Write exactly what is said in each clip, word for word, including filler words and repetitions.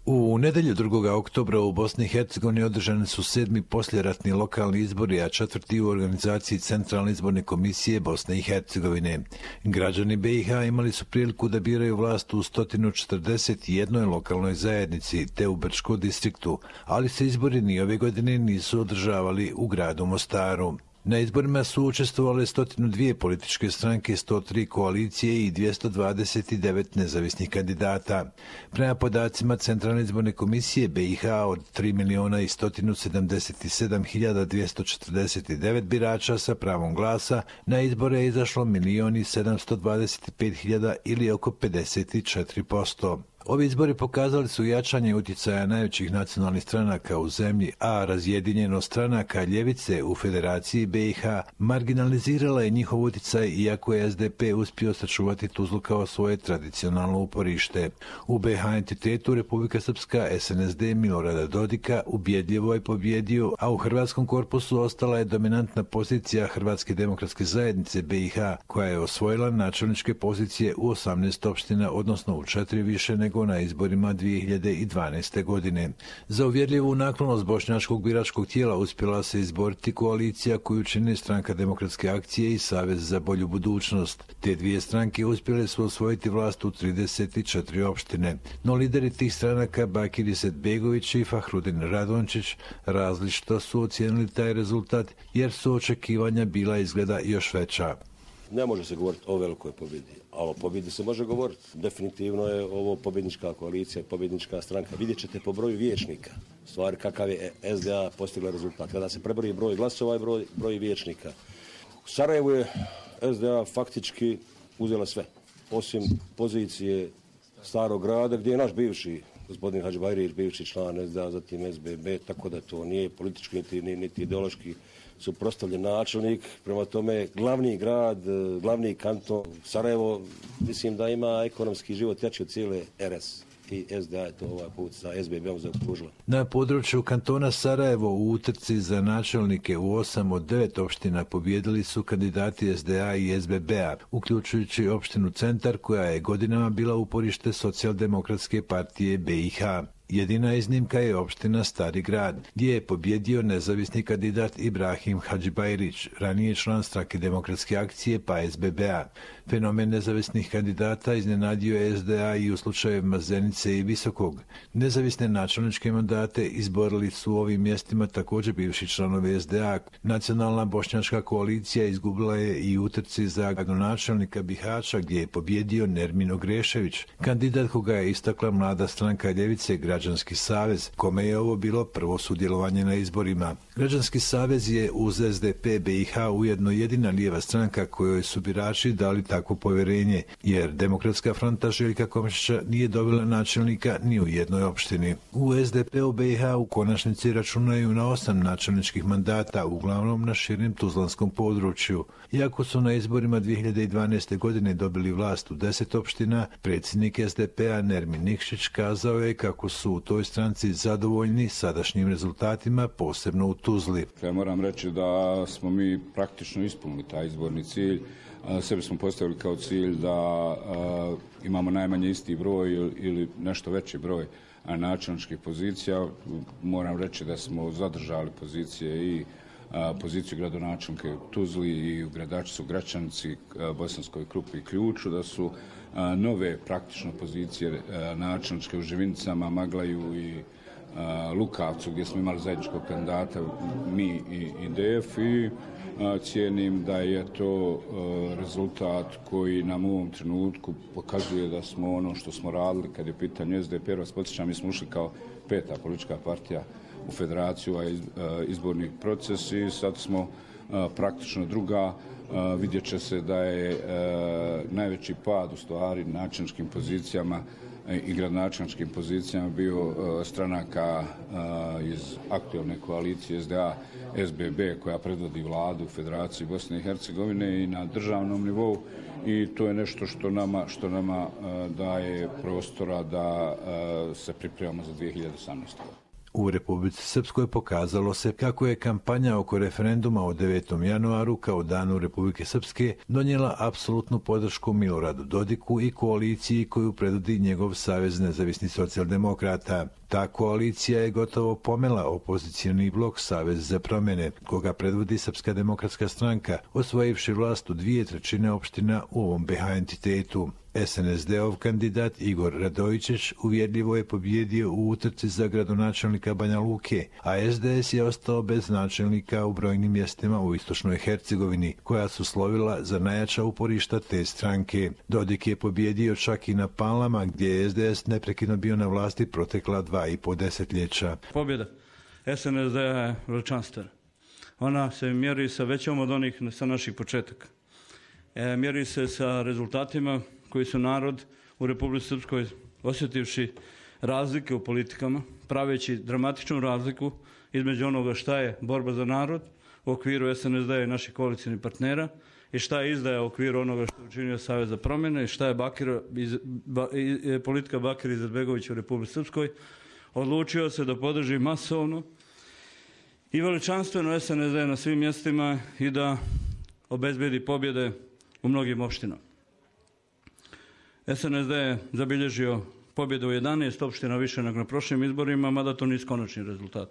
U nedjelju drugog oktobra u Bosni i Hercegovini održani su sedmi poslijeratni lokalni izbori, a četvrti u organizaciji Centralne izborne komisije Bosne i Hercegovine. Građani B i H imali su priliku da biraju vlast u sto četrdeset jednoj lokalnoj zajednici te u Brčkom distriktu, ali se izbori ni ove godine nisu održavali u gradu Mostaru. Na izborima su učestvovale sto dvije političke stranke, sto tri koalicije i dvjesto dvadeset devet nezavisnih kandidata. Prema podacima Centralne izborne komisije B i H od tri milijuna i sto sedamdeset sedam hiljada dvjesto četrdeset devet birača sa pravom glasa, na izbore je izašlo milijon i sedamsto dvadeset pet hiljada ili oko pedeset četiri posto. Ovi izbori pokazali su jačanje utjecaja najvećih nacionalnih stranaka u zemlji, a razjedinjenost stranaka ljevice u Federaciji B i H marginalizirala je njihov utjecaj, iako je S D P uspio sačuvati Tuzlu kao svoje tradicionalno uporište. U B i H entitetu Republika Srpska S N S D Milorada Dodika ubjedljivo je pobjedio, a u hrvatskom korpusu ostala je dominantna pozicija Hrvatske demokratske zajednice B i H, koja je osvojila načelničke pozicije u osamnaest opština, odnosno u četiri više nego na izborima dvije hiljade dvanaeste. godine. Za uvjerljivu naklonost bošnjačkog biračkog tijela uspjela se izboriti koalicija koju čine Stranka demokratske akcije i Savez za bolju budućnost. Te dvije stranke uspjele su osvojiti vlast u trideset četiri opštine. No lideri tih stranaka Bakir Izetbegović i Fahrudin Radončić različito su ocijenili taj rezultat, jer su očekivanja bila izgleda još veća. Ne može se govoriti o velikoj pobjedi, a o pobjedi se može govoriti. Definitivno je ovo pobjednička koalicija, pobjednička stranka. Vidjet ćete po broju vijećnika, stvari kakav je S D A postigla rezultat. Kada se prebroji broj glasova i broj, broj vijećnika. U Sarajevu je S D A faktički uzela sve, osim pozicije Starog grada, gdje je naš bivši gospodin Hadžibajrić, bivši član S D A, zatim S B B, tako da to nije politički niti, niti ideološki suprotstavljen načelnik. Prema tome, glavni grad, glavni kanton Sarajevo, mislim da ima ekonomski život jači od cijele R S. I S D A je to ovaj put sa S B B-om zaokružila. Na području kantona Sarajevo u utrci za načelnike u osam od devet opština pobjedili su kandidati S D A i S B B-a, uključujući opštinu Centar, koja je godinama bila uporište Socijaldemokratske partije B i H. Jedina iznimka je opština Stari grad, gdje je pobjedio nezavisni kandidat Ibrahim Hadžibajrić, ranije član Stranke demokratske akcije pa S B B-a. Fenomen nezavisnih kandidata iznenadio je S D A i u slučajevima Zenice i Visokog. Nezavisne načelničke mandate izborili su u ovim mjestima također bivši članovi S D A. Nacionalna bošnjačka koalicija izgubila je i utrci za gradonačelnika Bihaća, gdje je pobjedio Nermin Ogrešević, kandidat koga je istakla mlada stranka ljevice Građanski savez, kome je ovo bilo prvo sudjelovanje na izborima. Građanski savez je uz S D P B i H ujedno jedina lijeva stranka kojoj su birači dali takvo povjerenje, jer Demokratska fronta Željka Komšića nije dobila načelnika ni u jednoj opštini. U S D P-u B i H u konačnici računaju na osam načelničkih mandata, uglavnom na širem tuzlanskom području. Iako su na izborima dvije hiljade dvanaeste. godine dobili vlast u deset opština, predsjednik S D P-a Nermin Nikšić kazao je kako su u toj stranci zadovoljni sadašnjim rezultatima, posebno u Tuzli. Ja moram reći da smo mi praktično ispunili taj izborni cilj. Sebi smo postavili kao cilj da a, imamo najmanje isti broj ili nešto veći broj načelničkih pozicija. Moram reći da smo zadržali pozicije i a, poziciju gradonačelnika u Tuzli i u Gradačcu, Gračanici, a, Bosanskoj Krupi i Ključu, da su a, nove praktično pozicije a, načelničke u Živinicama, Maglaju i a, Lukavcu, gdje smo imali zajedničkog kandidata mi i, i D F i a, cijenim da je to a, rezultat koji nam u ovom trenutku pokazuje da smo ono što smo radili kad je pitanje S D P, vas podsjećam, mi smo ušli kao peta politička partija u federaciju, a izborni proces i sad smo a, praktično druga. A, vidjet će se da je a, najveći pad u stvari načelničkim pozicijama i gradonačelničkim pozicijama bio a, stranaka a, iz aktualne koalicije S D A S B B koja predvodi vladu u Federaciji Bosne i Hercegovine i na državnom nivou, i to je nešto što nama, što nama a, daje prostora da a, se pripremamo za dvije hiljade osamnaeste. U Republici Srpskoj pokazalo se kako je kampanja oko referenduma o devetom januaru kao danu Republike Srpske donijela apsolutnu podršku Miloradu Dodiku i koaliciji koju predvodi njegov Savez nezavisnih socijaldemokrata. Ta koalicija je gotovo pomela opozicioni blok Savez za promjene, koga predvodi Srpska demokratska stranka, osvojivši vlast u dvije trećine opština u ovom be ha entitetu. es en es de-ov kandidat Igor Radojičić uvjerljivo je pobjedio u utrci za gradonačelnika Banja Luke, a es de es je ostao bez načelnika u brojnim mjestima u istočnoj Hercegovini, koja su slovila za najjača uporišta te stranke. Dodik je pobjedio čak i na Palama, gdje je es de es neprekidno bio na vlasti protekla dva i po desetljeća. Pobjeda es en es de je veličanstvena. Ona se mjeri sa većom od onih sa naših početaka. E, mjeri se sa rezultatima koji su narod u Republici Srpskoj osjetivši razlike u politikama, praveći dramatičnu razliku između onoga šta je borba za narod u okviru es en es de i naših koalicijnih partnera i šta je izdaja u okviru onoga što je učinio Savez za promjene i šta je Bakir, iz, ba, i, politika Bakira Izetbegovića u Republici Srpskoj, odlučio se da podrži masovno i veličanstveno es en es de na svim mjestima i da obezbedi pobjede u mnogim opštinama. es en es de je zabilježio pobjedu u jedanaest opština više nego na prošlim izborima, mada to nisu konačni rezultat.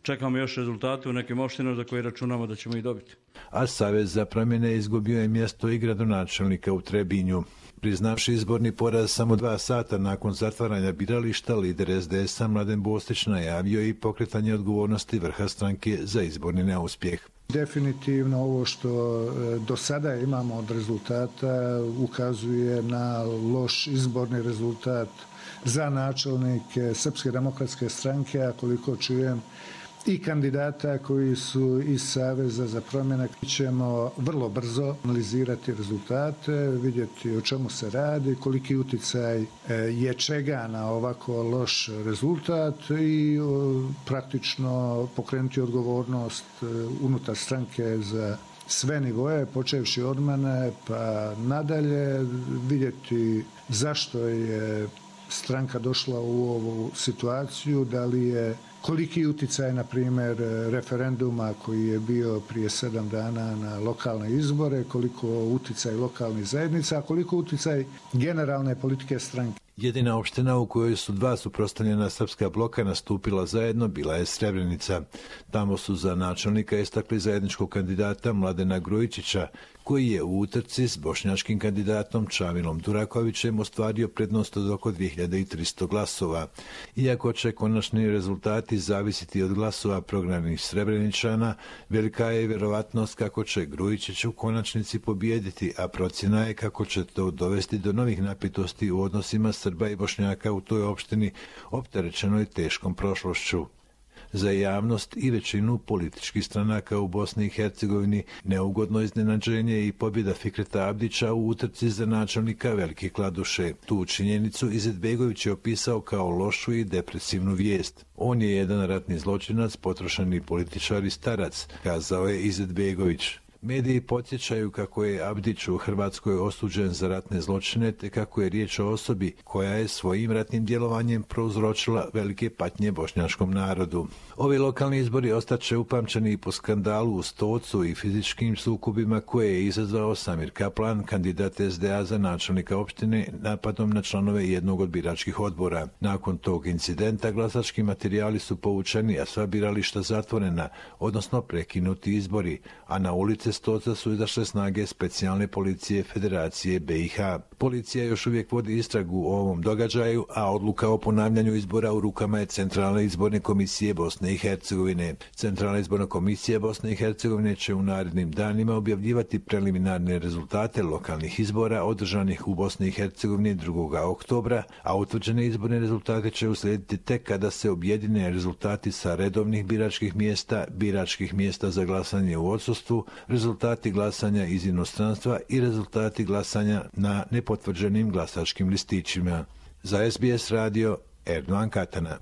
Čekamo još rezultate u nekim opštinama za koje računamo da ćemo ih dobiti. A Savez za promjene izgubio je mjesto i gradonačelnika u Trebinju. Priznavši izborni poraz samo dva sata nakon zatvaranja birališta, lider es de es-a Mladen Bostić najavio i pokretanje odgovornosti vrha stranke za izborni neuspjeh. Definitivno ovo što do sada imamo od rezultata ukazuje na loš izborni rezultat za načelnike Srpske demokratske stranke, a koliko čujem i kandidata koji su iz Saveza za promjene. Ćemo vrlo brzo analizirati rezultate, vidjeti o čemu se radi, koliki uticaj je čega na ovako loš rezultat i praktično pokrenuti odgovornost unutar stranke za sve nivoje, počevši od mene pa nadalje, vidjeti zašto je stranka došla u ovu situaciju, da li je koliki uticaj, na primjer, referenduma koji je bio prije sedam dana na lokalne izbore, koliko uticaj lokalnih zajednica, a koliko uticaj generalne politike stranke. Jedina opština u kojoj su dva suprotstavljena srpska bloka nastupila zajedno bila je Srebrenica. Tamo su za načelnika istakli zajedničkog kandidata Mladena Grujičića, koji je u utrci s bošnjačkim kandidatom Čamilom Durakovićem ostvario prednost od oko dvije hiljade tristo glasova. Iako će konačni rezultati zavisiti od glasova prognanih Srebreničana, velika je vjerovatnost kako će Grujičić u konačnici pobijediti, a procjena je kako će to dovesti do novih napetosti u odnosima Srba i Bošnjaka u toj opštini opterećenoj teškom prošlošću. Za javnost i većinu političkih stranaka u Bosni i Hercegovini neugodno iznenađenje i pobjeda Fikreta Abdića u utrci za načelnika Velike Kladuše. Tu činjenicu Izetbegović je opisao kao lošu i depresivnu vijest. On je jedan ratni zločinac, potrošeni političar i starac, kazao je Izetbegović. Mediji podsjećaju kako je Abdić u Hrvatskoj osuđen za ratne zločine, te kako je riječ o osobi koja je svojim ratnim djelovanjem prouzročila velike patnje bošnjačkom narodu. Ovi lokalni izbori ostaće upamćeni po skandalu u Stocu i fizičkim sukobima koje je izazvao Samir Kaplan, kandidat es de a za načelnika opštine, napadom na članove jednog od biračkih odbora. Nakon tog incidenta glasački materijali su povučeni, a sva birališta zatvorena, odnosno prekinuti izbori, a na ulici Stoca su izašle snage specijalne policije Federacije be i ha. Policija još uvijek vodi istragu o ovom događaju, a odluka o ponavljanju izbora u rukama je Centralne izborne komisije Bosne i Hercegovine. Centralna izborna komisija Bosne i Hercegovine će u narednim danima objavljivati preliminarne rezultate lokalnih izbora održanih u Bosni i Hercegovini drugog oktobra, a utvrđene izborne rezultate će uslijediti tek kada se objedine rezultati sa redovnih biračkih mjesta, biračkih mjesta za glasanje u odsustvu, rezultati glasanja iz inostranstva i rezultati glasanja na nepotvrđenim glasačkim listićima. Za es be es radio, Erdogan Katana.